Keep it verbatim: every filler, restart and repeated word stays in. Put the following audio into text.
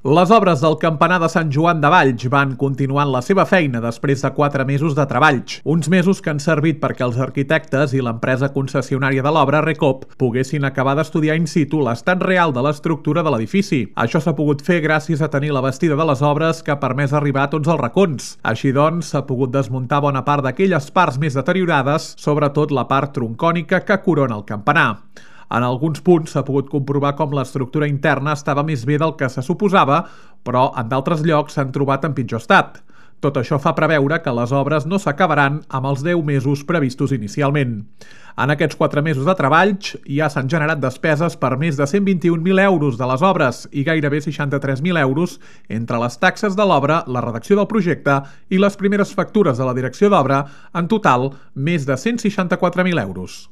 Les obres del campanar de Sant Joan de Valls van continuant la seva feina després de quatre mesos de treballs. Uns mesos que han servit perquè els arquitectes i l'empresa concessionària de l'obra, Recop, poguessin acabar d'estudiar in situ l'estat real de l'estructura de l'edifici. Això s'ha pogut fer gràcies a tenir la bastida de les obres que ha permès arribar a tots els racons. Així doncs, s'ha pogut desmuntar bona part d'aquelles parts més deteriorades, sobretot la part troncònica que corona el campanar. En alguns punts s'ha pogut comprovar com l'estructura interna estava més bé del que se suposava, però en d'altres llocs s'han trobat en pitjor estat. Tot això fa preveure que les obres no s'acabaran amb els deu mesos previstos inicialment. En aquests quatre mesos de treballs ja s'han generat despeses per més de cent vint-i-un mil euros de les obres i gairebé seixanta-tres mil euros entre les taxes de l'obra, la redacció del projecte i les primeres factures de la direcció d'obra, en total més de cent seixanta-quatre mil euros.